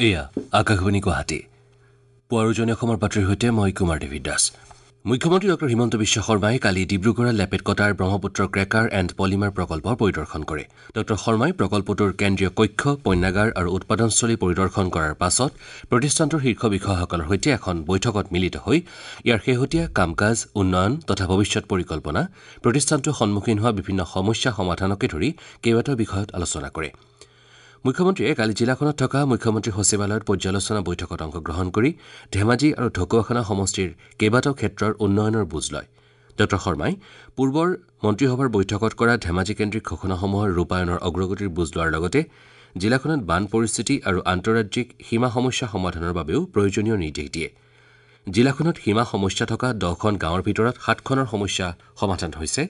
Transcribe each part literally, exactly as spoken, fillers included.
এয়া আকাশবাণী গুৱাহাটী। পুৱাৰ উজনি অসমৰ বাতৰিৰ সৈতে মই কুমাৰ দেৱী দাস। মুখ্যমন্ত্ৰী ডক্টৰ হিমন্ত বিশ্ব শৰ্মাই কালি ডিব্ৰুগড়ৰ লেপেটকটাৰ ব্ৰহ্মপুত্ৰ ক্ৰেকাৰ এণ্ড পলিমাৰ প্ৰকল্প পৰিদৰ্শন কৰে। ডক্টৰ শৰ্মাই প্ৰকল্পটোৰ কেন্দ্ৰীয় কক্ষ, পণ্যাগাৰ আৰু উৎপাদনস্থলী পৰিদৰ্শন কৰাৰ পাছত প্ৰতিষ্ঠানটোৰ শীৰ্ষ বিষয়াসকলৰ সৈতে এখন বৈঠকত মিলিত হৈ ইয়াৰ শেহতীয়া কাম-কাজ, উন্নয়ন তথা ভৱিষ্যত পৰিকল্পনা, প্ৰতিষ্ঠানটোৰ সন্মুখীন হোৱা বিভিন্ন সমস্যা সমাধানকে ধৰি কেইবাটাও বিষয়ত আলোচনা কৰে। মুখ্যমন্ত্ৰীয়ে কালি জিলাখনত থকা মুখ্যমন্ত্ৰী সচিবালয়ত পৰ্যালোচনা বৈঠকত অংশগ্ৰহণ কৰি ধেমাজি আৰু ঢকুৱাখনা সমষ্টিৰ কেইবাটাও ক্ষেত্ৰৰ উন্নয়নৰ বুজ লয়। ডক্টৰ শৰ্মাই পূৰ্বৰ মন্ত্ৰীসভাৰ বৈঠকত কৰা ধেমাজি কেন্দ্ৰিক ঘোষণাসমূহৰ ৰূপায়ণৰ অগ্ৰগতিৰ বুজ লোৱাৰ লগতে জিলাখনত বান পৰিস্থিতি আৰু আন্তঃৰাজ্যিক সীমা সমস্যা সমাধানৰ বাবেও প্ৰয়োজনীয় নিৰ্দেশ দিয়ে। জিলাখনত সীমা সমস্যা থকা দহখন গাঁৱৰ ভিতৰত সাতখনৰ সমস্যা সমাধান হৈছে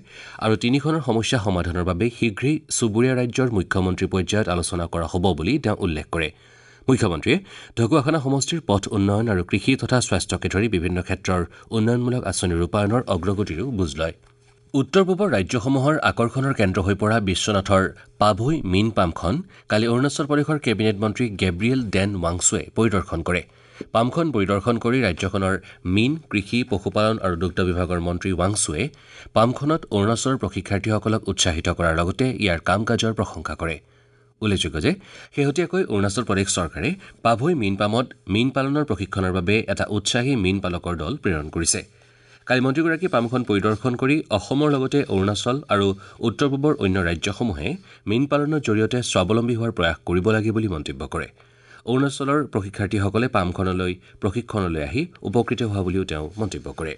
আৰু তিনিখনৰ সমস্যা সমাধানৰ বাবে শীঘ্ৰেই চুবুৰীয়া ৰাজ্যৰ মুখ্যমন্ত্ৰী পৰ্যায়ত আলোচনা কৰা হ'ব বুলি তেওঁ উল্লেখ কৰে। মুখ্যমন্ত্ৰীয়ে ঢকুৱাখনা সমষ্টিৰ পথ উন্নয়ন আৰু কৃষি তথা স্বাস্থ্যকে ধৰি বিভিন্ন ক্ষেত্ৰৰ উন্নয়নমূলক আঁচনি ৰূপায়ণৰ অগ্ৰগতিৰো বুজ লয়। উত্তৰ পূবৰ ৰাজ্যসমূহৰ আকৰ্ষণৰ কেন্দ্ৰ হৈ পৰা বিশ্বনাথৰ পাভৈ মীন পামখন কালি অৰুণাচল প্ৰদেশৰ কেবিনেট মন্ত্ৰী গেব্ৰিয়েল ডেন ৱাংচুৱে পৰিদৰ্শন কৰে। পামখন পৰিদৰ্শন কৰি ৰাজ্যখনৰ মীন, কৃষি, পশুপালন আৰু দুগ্ধ বিভাগৰ মন্ত্ৰী ৱাংচুৱে পামখনত অৰুণাচলৰ প্ৰশিক্ষাৰ্থীসকলক উৎসাহিত কৰাৰ লগতে ইয়াৰ কাম-কাজৰ প্ৰশংসা কৰে। উল্লেখযোগ্য যে শেহতীয়াকৈ অৰুণাচল প্ৰদেশ চৰকাৰে পাভৈ মীন পামত মীন পালনৰ প্ৰশিক্ষণৰ বাবে এটা উৎসাহী মীন পালকৰ দল প্ৰেৰণ কৰিছে। কালি মন্ত্ৰীগৰাকীয়ে পামখন পৰিদৰ্শন কৰি অসমৰ লগতে অৰুণাচল আৰু উত্তৰ পূবৰ অন্য ৰাজ্যসমূহে মীন পালনৰ জৰিয়তে স্বাৱলম্বী হোৱাৰ প্ৰয়াস কৰিব লাগে বুলি মন্তব্য কৰে। অৰুণাচলৰ প্ৰশিক্ষাৰ্থীসকলে পামখনলৈ প্ৰশিক্ষণলৈ আহি উপকৃত হোৱা বুলিও তেওঁ মন্তব্য কৰে।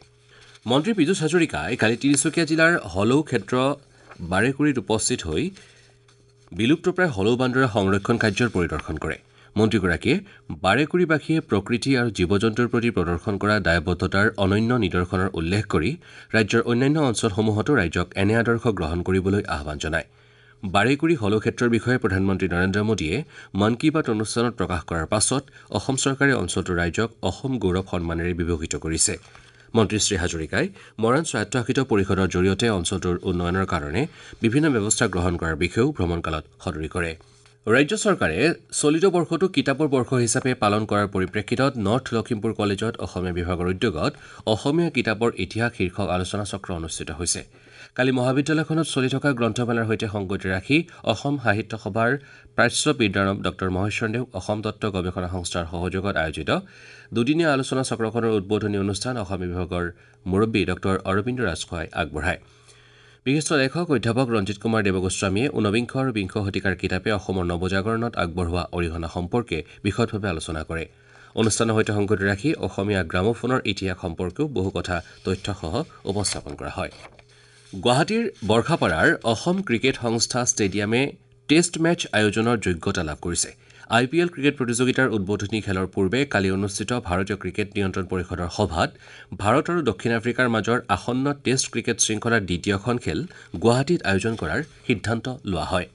মন্ত্ৰী পীযুষ হাজৰিকাই কালি তিনিচুকীয়া জিলাৰ হলৌ ক্ষেত্ৰ বাৰেকুৰিত উপস্থিত হৈ বিলুপ্তপ্ৰায় হলৌ বান্দৰৰ সংৰক্ষণ কাৰ্যৰ পৰিদৰ্শন কৰে। মন্ত্ৰীগৰাকীয়ে বাৰেকুৰিবাসীয়ে প্ৰকৃতি আৰু জীৱ-জন্তুৰ প্ৰতি প্ৰদৰ্শন কৰা দায়বদ্ধতাৰ অনন্য নিদৰ্শনৰ উল্লেখ কৰি ৰাজ্যৰ অন্যান্য অঞ্চলসমূহতো ৰাইজক এনে আদৰ্শ গ্ৰহণ কৰিবলৈ আহ্বান জনায়। বাৰেকুৰি হলৌ ক্ষেত্ৰৰ বিষয়ে প্ৰধানমন্ত্ৰী নৰেন্দ্ৰ মোদীয়ে মন কী বাত অনুষ্ঠানত প্ৰকাশ কৰাৰ পাছত অসম চৰকাৰে অঞ্চলটোৰ ৰাইজক অসম গৌৰৱ সন্মানেৰে বিভূষিত কৰিছে। মন্ত্ৰী শ্ৰী হাজৰিকাই মৰাণ স্বায়ত্তশাসিত পৰিষদৰ জৰিয়তে অঞ্চলটোৰ উন্নয়নৰ কাৰণে বিভিন্ন ব্যৱস্থা গ্ৰহণ কৰাৰ বিষয়েও ভ্ৰমণকালত সদৰি কৰে। ৰাজ্য চৰকাৰে চলিত বৰ্ষটো কিতাপৰ বৰ্ষ হিচাপে পালন কৰাৰ পৰিপ্ৰেক্ষিতত নৰ্থ লখিমপুৰ কলেজত অসমীয়া বিভাগৰ উদ্যোগত অসমীয়া কিতাপৰ ইতিহাস শীৰ্ষক আলোচনা চক্ৰ অনুষ্ঠিত হৈছে। কালি মহাবিদ্যালয়খনত চলি থকা গ্ৰন্থমেলাৰ সৈতে সংগতি ৰাখি অসম সাহিত্য সভাৰ প্ৰাচ্য বিদ্যাৰম ডক্টৰ মহেশ্বৰ দেৱ অসম তত্ত্ব গৱেষণা সংস্থাৰ সহযোগত আয়োজিত দুদিনীয়া আলোচনা চক্ৰখনৰ উদ্বোধনী অনুষ্ঠান অসমীয়া বিভাগৰ মুৰব্বী ডক্টৰ অৰবিন্দ ৰাজখোৱাই আগবঢ়ায়। বিশিষ্ট লেখক অধ্যাপক ৰঞ্জিত কুমাৰ দেৱগোস্বামীয়ে ঊনবিংশ আৰু বিংশ শতিকাৰ কিতাপে অসমৰ নৱজাগৰণত আগবঢ়োৱা অৰিহণা সম্পৰ্কে বিশদভাৱে আলোচনা কৰে। অনুষ্ঠানৰ সৈতে সংগতি ৰাখি অসমীয়া গ্ৰামোফোনৰ ইতিহাস সম্পৰ্কেও বহু কথা তথ্যসহ উপস্থাপন কৰা হয়। গুৱাহাটীৰ বৰ্ষাপাৰাৰ অসম ক্ৰিকেট সংস্থা ষ্টেডিয়ামে টেষ্ট মেচ আয়োজনৰ যোগ্যতা লাভ কৰিছে। আই পি এল ক্ৰিকেট প্ৰতিযোগিতাৰ উদ্বোধনী খেলৰ পূৰ্বে কালি অনুষ্ঠিত ভাৰতীয় ক্ৰিকেট নিয়ন্ত্ৰণ পৰিষদৰ সভাত ভাৰত আৰু দক্ষিণ আফ্ৰিকাৰ মাজৰ আসন্ন টেষ্ট ক্ৰিকেট শৃংখলাৰ দ্বিতীয়খন খেল গুৱাহাটীত আয়োজন কৰাৰ সিদ্ধান্ত লোৱা হয়।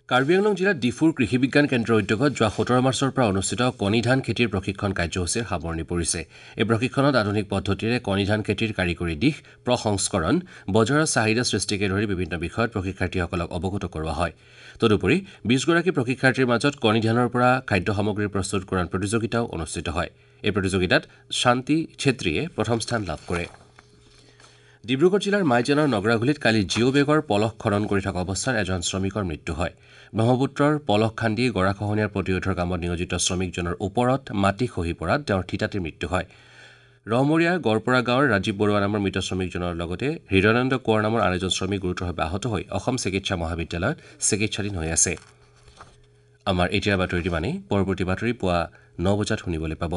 কাৰ্বি আংলং জিলাত ডিফুৰ কৃষি বিজ্ঞান কেন্দ্ৰৰ উদ্যোগত যোৱা সোতৰ মাৰ্চৰ পৰা অনুষ্ঠিত কণী ধান খেতিৰ প্ৰশিক্ষণ কাৰ্যসূচীৰ সামৰণি পৰিছে। এই প্ৰশিক্ষণত আধুনিক পদ্ধতিৰে কণী ধান খেতিৰ কাৰিকৰী দিশ, প্ৰসংস্কৰণ, বজাৰৰ চাহিদা সৃষ্টিকে ধৰি বিভিন্ন বিষয়ত প্ৰশিক্ষাৰ্থীসকলক অৱগত কৰোৱা হয়। তদুপৰি বিশগৰাকী প্ৰশিক্ষাৰ্থীৰ মাজত কণী ধানৰ পৰা খাদ্য সামগ্ৰী প্ৰস্তুতকৰণ প্ৰতিযোগিতাও অনুষ্ঠিত হয়। এই প্ৰতিযোগিতাত শান্তি ছেত্ৰীয়ে প্ৰথম স্থান লাভ কৰে। ডিব্ৰুগড় জিলাৰ মাইজানৰ নগৰাঘুলিত কালি জিঅ' বেগৰ পলস খনন কৰি থকা অৱস্থাত এজন শ্ৰমিকৰ মৃত্যু হয়। ব্ৰহ্মপুত্ৰৰ পলস খান্দি গৰাখহনীয়াৰ প্ৰতিৰোধৰ কামত নিয়োজিত শ্ৰমিকজনৰ ওপৰত মাটি খহি পৰাত তেওঁৰ থিতাতে মৃত্যু হয়। ৰহমৰীয়া গড়পৰা গাঁৱৰ ৰাজীৱ বৰুৱা নামৰ মৃত শ্ৰমিকজনৰ লগতে হৃদয়ানন্দ কোঁৱৰ নামৰ আন এজন শ্ৰমিক গুৰুতৰভাৱে আহত হৈ অসম চিকিৎসা মহাবিদ্যালয়ত চিকিৎসাধীন হৈ আছে। আমাৰ এতিয়াৰ বাতৰিটো মানে পৰৱৰ্তী বাতৰি পুৱা ন বজাত শুনিবলৈ পাব।